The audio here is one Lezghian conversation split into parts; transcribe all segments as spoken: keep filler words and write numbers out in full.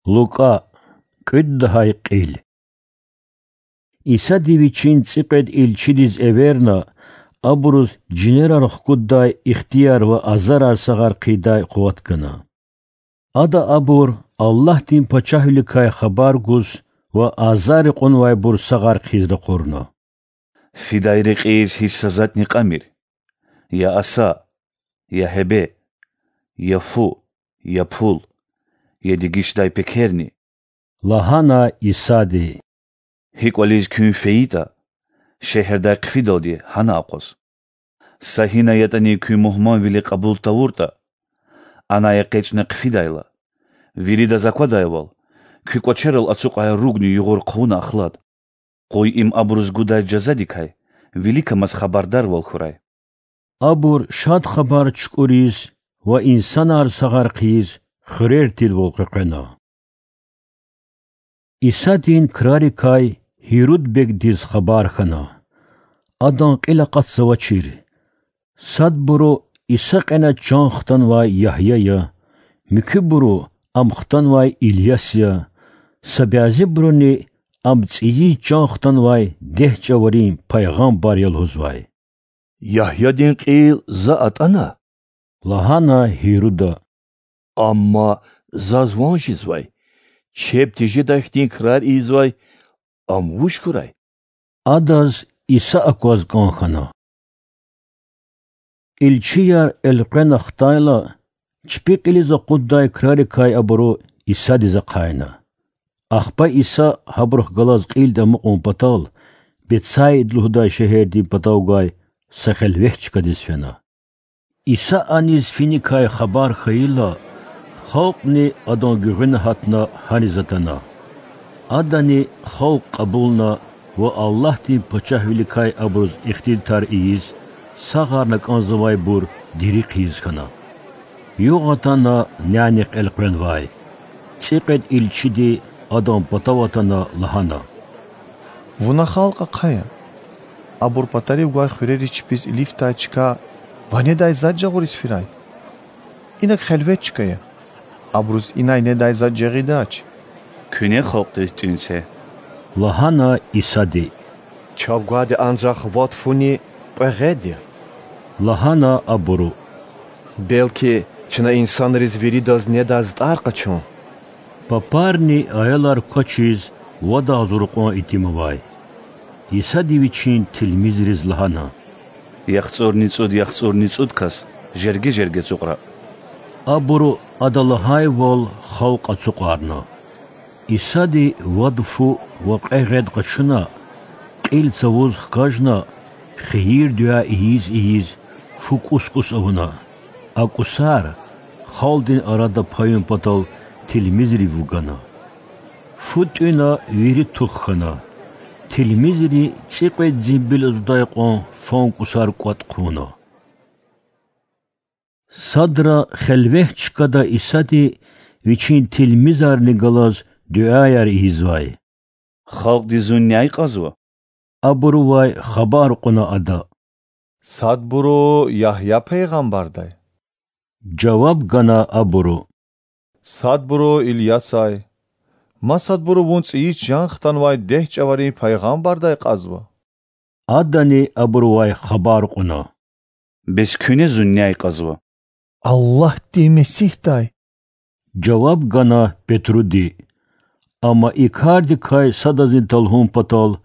Лукӏа, кӏуьд лагьай кьил. Исади Вичин цӏикьвед илчидиз эверна, абуруз жинерар хкуддай ихтияр ва азарар сагъар хъийидай къуват гана. Ада абур Аллагьдин Пачагьвиликай хабар гуз ва азарри кьунвайбур сагъар хъийиз ракъурна. Фидай рекьиз гьич са затӏни кьамир: я аса, я гьебе, я фу, я пул, я дегишдай пекерни,— лагьана Исади. Гьи кӏвализ куьн фейитӏа, шегьердай хъфидалди гьана акъваз. Са гьина ятӏани куь мугьманвили кьабул тавуртӏа, анай экъечӏна хъфидайла, виридаз аквадайвал, куь кӏвачерал ацукьай ругни югъур хъувуна ахлад. Къуй им абуруз гудай жазадикай виликамаз хабардарвал хьурай. Абур Шад Хабар чукӏуриз ва инсанар сагъар хъийиз хуьрер тирвал къекъвена. Исадин крарикай Гьируд бегдиз хабар хьана. Адан кьил акъатзавачир. Садбуру Иса кьена чан хтанвай Ягья я, муькуьбуру ам хтанвай Ильяс я, са бязибуруни ам цӏийиз чан хтанвай дегь чӏаварин пайгъамбар я лугьузвай. Ягьядин кьил за атӏана,— лагьана Гьируда,— амма заз ван жезвай, чеб тежедай хьтин крар ийизвай ам вуж хьурай? Адаз Иса акваз кӏан хьана. Илчияр элкъвена хтайла, чпи кьилиз акъуддай крарикай абуру Исадиз ахъайна. Ахпа Иса, гьабурухъ галаз кьилди амукьун патал, Бетсаид лугьудай шегьердин патав гвай са хелвет чкадиз фена. Иса аниз финикай хабар хьайила, халкьни Адан гуьгъуьна гьатна гьаниз атана. Адани халкь кьабулна ва Аллагьдин Пачагьвиликай абуруз ихтилатар ийиз, сагъарна кӏанзавайбур дири хъийиз хьана. Югъ атана нянихъ элкъвенвай. Цӏикьвед илчиди, Адан патав атана, лагьана: Вуна халкь ахъая. Абур патарив гвай хуьрериз чпиз илифдай чка ва недай затӏ жагъуриз фирай. Инаг хелвет чка я. Абуруз инай недай затӏ жагъидач. Куьне халкьдиз тӏуьн це,— лагьана Исади. Чав гвайди анжах вад фуни кьве гъед я,— лагьана абуру. Белки, чна инсанриз виридаз недай затӏар къачун? Папарни аялар квачиз вад агъзур кьван итим авай. Исади Вичин тилмизриз лагьана: ЯхцӀурни цӀуд яхцӀурни цӀуд кас жерге-жерге ацукьра. Абуру Ада лагьайвал халкь ацукьарна. Исади вад фу ва кьве гъед къачуна, кьил цавуз хкажна, хийир-дуьа ийиз-ийиз, фу кӀус-кӀус авуна. А кӀусар, халкьдин арада паюн патал, тилмизрив вугана. Фу тӀуьна, вири тух хьана. Тилмизри цӀикьвед зимбил азудай кьван фан кӀусар кӀватӀ хъувуна. Садра хелвет чкада Исади Вичин тилмизарни галаз дуьаяр ийизвай. Халкьди Зун няй кьазва? Абурувай хабар кьуна Ада: Садбуру Ягья пайгъамбардай,— жаваб гана абуру. Садбуру Ильясай, масадбуру Вун цӀийиз чан хтанвай дегь чӀаварин пайгъамбардай кьазва. Адани абурувай хабар кьуна: Бес куьне Зун няй кьазва? Аллагьдин Месигьдай,— жаваб гана Петруди. Амма и кардикай садазни талгьун патал,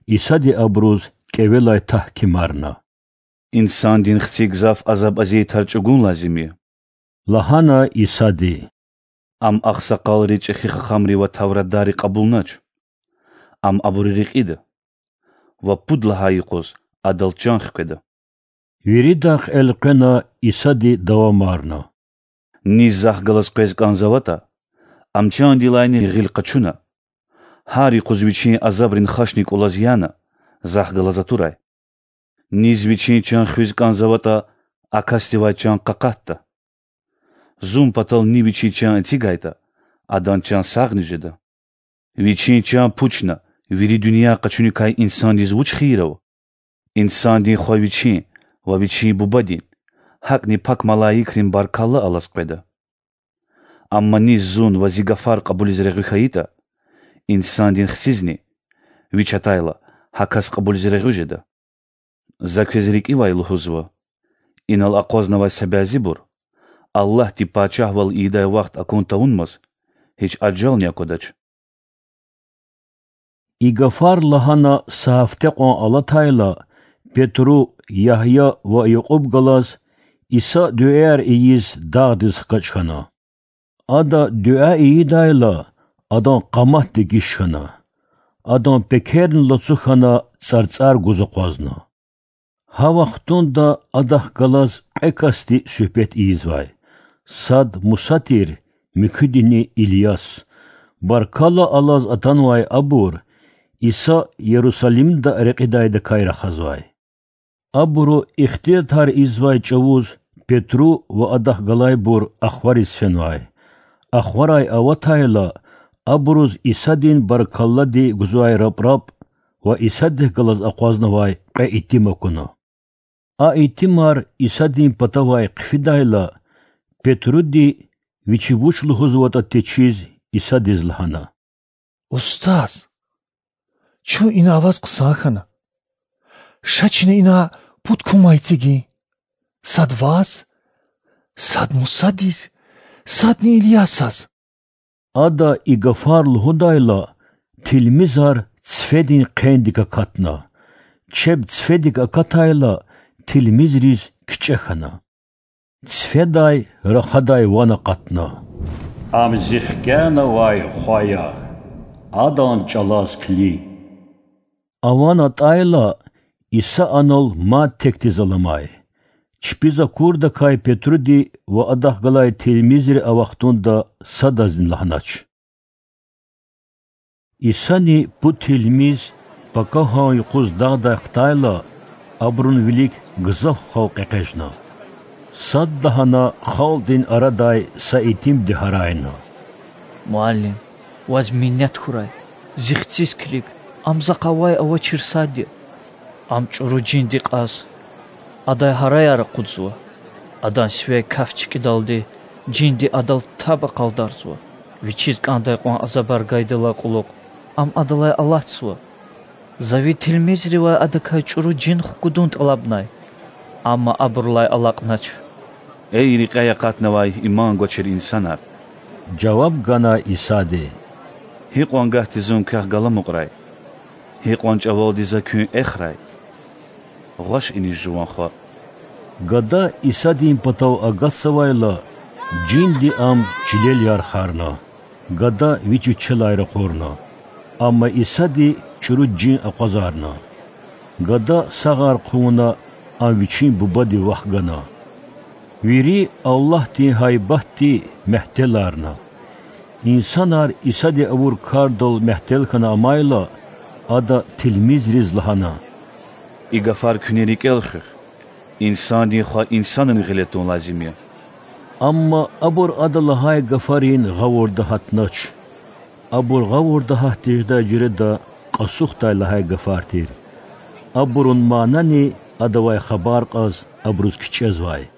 Исади абуруз кӀевелай тагькимарна. Инсандин Хци гзаф азаб-азият тар чӀугун лазим я,— лагьана Исади. Ам агъсакъалри, чӀехи хахамри ва тавратдарри кьабулнач. Ам абуру рекьида ва пуд лагьай юкъуз Адал чан хкведа. Виридахъ элкъвена Исади давамарна: Низ Захъ галаз къвез кӀанзаватӀа, ам чандилайни гъил къачуна, гьар юкъуз вичин азабрин хашни кӀулаз яна, Захъ галаз атурай. Низ вичин чан хуьз кӀанзаватӀа, а касдивай чан къакъатда. Зун патал ни вичин чан эцигайтӀа, адан чан сагъни жеда. Вичин чан пучна, вири дуьнья къачуникай инсандиз вуч хийир ава? Инсандин Хва Вичин ва Вичин Бубадин, гьакӀни пак малаикрин баркалла алаз къведа. Амма низ зун ва зи гафар кьабулиз регъуь хьайитӀа, Инсандин Хцизни, вич атайла, гьа кас кьабулиз регъуь жеда. За квез рикӀивай лугьузва: инал акъвазнавай са бязибур, Аллагьди пачагьвал ийидай вахт акун тавунмаз, гьич ажални аквадач. И гафар лагьана са гьафте кьван алатайла, Петру, Ягья ва Якьуб галаз Иса дуьаяр ийиз дагъдиз хкаж хьана. Ада дуьа ийидайла, адан къамат дегиш хьана. Адан пекерни лацу хьана, цӀарцӀар гуз акъвазна. Гьа вахтунда Адахъ галаз кьве касди суьгьбет ийизвай: сад Муса тир, муькуьдини Ильяс. Баркалла алаз атанвай абур Иса Ярусалимда рекьидайдакай рахазвай. Абуру ихтилатар ийизвай чӀавуз Петру ва адахъ галайбур ахвариз фенвай. Ахварай аватайла, абуруз Исадин баркаллади гузвай рапрап ва Исадихъ галаз акъвазнавай кьве итим акуна. А итимар Исадин патавай хъфидайла, Петруди, вичи вуч лугьузватӀа течиз, Исадиз лагьана: Устаз, чун ина аваз хъсан хьана. Ша чна ина пуд кумай эцигин: сад Ваз, сад Мусадиз, садни Ильясаз. Ада и гафар лугьудайла, тилмизар цифедин хъендик акатна. Чеб цифедик акатайла, тилмизриз кичӀе хьана. Цифедай рахадай ван акъатна: Ам Зи хкянавай Хва я, Адан чӀалаз килиг. А ван атӀайла, Иса анал мад текдиз аламай. Чпиз акурдакай Петруди ва адахъ галай тилмизри а вахтунда садазни лагьанач. Исани пуд тилмиз пакагьан юкъуз дагъдай хтайла, абурун вилик гзаф халкь экъечӀна. Садлагьана халкьдин арадай са итимди гьарайна: Муаллим, Ваз минет хьурай, зи хциз килиг, ам захъ авай-авачир сад я. Ам чӀуру жинди кьаз, адай гьараяр акъудзава. Адан сивяй каф чкӀидалди жинди адал таб акъалдарзава. Вичиз кӀандай кьван азабар гайидалай кьулухъ ам адалай алатзава. За ви тилмизривай адакай чӀуру жин хкудун тӀалабнай, амма абурулай алакьнач. Эй рекьяй акъатнавай иман гвачир инсанар! жаваб гана Исади. Гьикьван гагьди Зун квехъ галамукьрай? Гьикьван чӀавалди За куьн эхрай? Гъваш иниз, жуван хва. Гада Исадин патав агатзавайла, жинди ам чилел ярхарна. Гада вич вичелай ракъурна. Амма Исади чӀуру жин акъвазарна. Гада сагъар хъувуна, ам вичин бубади вахгана. Вири Аллагьдин гьайбатди мягьтеларна. Инсанар Исади авур кардал мягьтел хьана амайла, Ада тилмизриз лагьана: И гафар куьне рикӀел хуьх: Инсандин Хва инсанрин гъиле тун лазим я. Амма абур Ада лагьай гафарин гъавурда гьатнач. Абур гъавурда гьат тежедай жуьреда кьасухдай лагьай гафар тир. Абурун манани Адавай хабар кьаз абуруз кичӀезвай.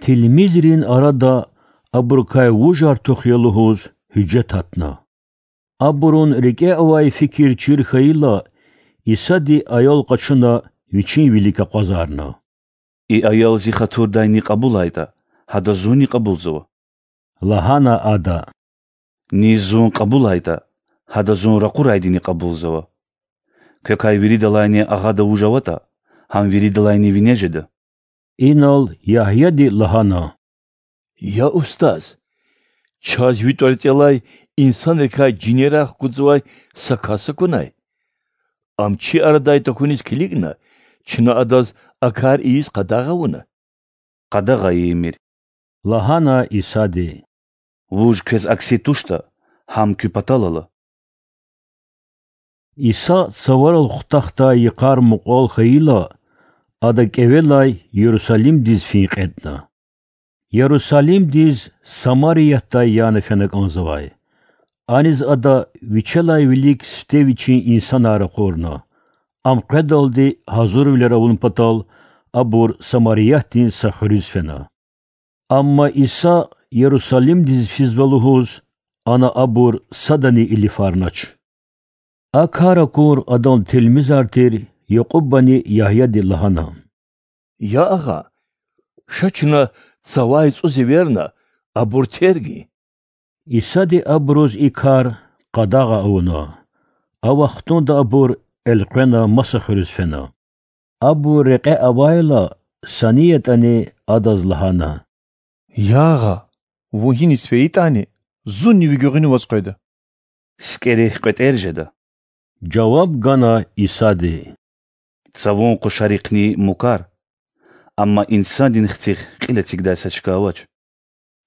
Тилмизрин арада абурукай вужар тух я лугьуз гьуьжет гьатна. Абурун рикӀе авай фикир чир хьайила, Исади аял къачуна, Вичин вилик акъвазарна. И аял Зи хатурдайни кьабулайтӀа, гьада Зунни кьабулзава,– лагьана Ада. Низ Зун кьабулайтӀа, гьада Зун ракъурайдини кьабулзава. Квекай виридалайни агъада вуж аватӀа, гьам виридалайни вине жеда. Инал Ягьяди лагьана: Я Устаз! Чаз Ви тӀварцӀелай инсанрикай жинерар хкудзавай са кас акунай. Ам чи арадай тахьуниз килигна, чна адаз а кар ийиз къадагъа авуна. Къадагъа ийимир,– лагьана Исади. Вуж квез акси туштӀа, гьам куь патал ала. Иса цаварал хутахдай йикъар мукьвал хьайила, Ада кӀевелай Ярусалимдиз фин кьетӀна. Ярусалимдиз Самариятдай яна фена кӀанзавай. Аниз Ада Вичелай вилик сифте Вичин инсанар ракъурна. Ам къведалди гьазурвилер авун патал, абур Самариятдин са хуьруьз фена. Амма Иса Ярусалимдиз физва лугьуз, ана абур садани илифарнач. А кар акур адан тилмизар тир Якьубани Ягьяди лагьана: Я Агъа, ша чна цавай цӀуз эверна, абур тергин. Исади абуруз и кар къадагъа авуна. А вахтунда абур элкъвена маса хуьруьз фена. Абур рекье авайла, са ни ятӀани адаз лагьана: Я Агъа, вун гьиниз фейитӀани, зунни ви гуьгъуьнаваз къведа. СикӀерихъ кьветӀер жеда,– жаваб гана Исади. Цавун къушарихъни мукар, амма Инсандин Хцихъ кьил эцигдай са чка авач.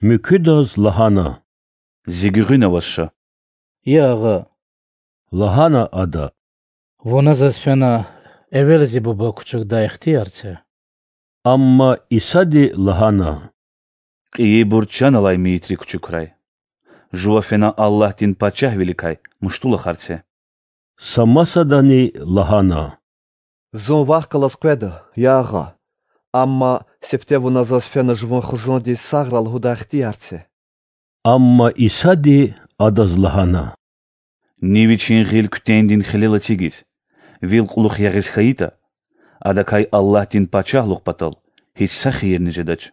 Муькуьдаз лагьана: Зи гуьгъуьнаваз ша. Я Агъа,– лагьана ада,– вуна заз фена эвел зи Буба кучукдай ихтияр це. Амма Исади лагьана: Кьейибур чан алай мейитри кучукрай. Жува фена Аллагьдин Пачагьвиликай муштулухар це. Са масадани лагьана: Зун вахъ галаз къведа, я Агъа, амма сифте вуна заз фена жуван хизандиз сагърай лугьудай ихтияр це. Амма Исади адаз лагьана: Ни вичин гъил куьтендин хилел эцигиз, вил кьулухъ ягъиз хьайитӀа, адакай Аллагьдин Пачагьлугъ патал гьич са хийирни жедач.